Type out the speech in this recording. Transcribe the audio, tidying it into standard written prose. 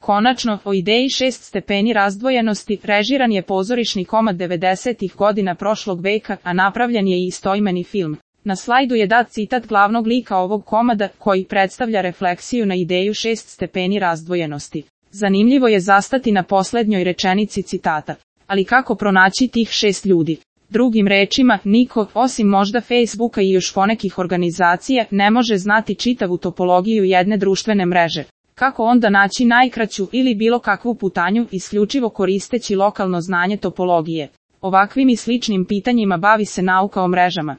Konačno, o ideji 6 stepeni razdvojenosti režiran je pozorišni komad 90-ih godina prošlog veka, a napravljen je i istoimeni film. Na slajdu je dat citat glavnog lika ovog komada, koji predstavlja refleksiju na ideju 6 stepeni razdvojenosti. Zanimljivo je zastati na poslednjoj rečenici citata. Ali kako pronaći tih 6 ljudi? Drugim rečima, niko, osim možda Facebooka i još ponekih organizacija, ne može znati čitavu topologiju jedne društvene mreže. Kako onda naći najkraću ili bilo kakvu putanju, isključivo koristeći lokalno znanje topologije? Ovakvim i sličnim pitanjima bavi se nauka o mrežama.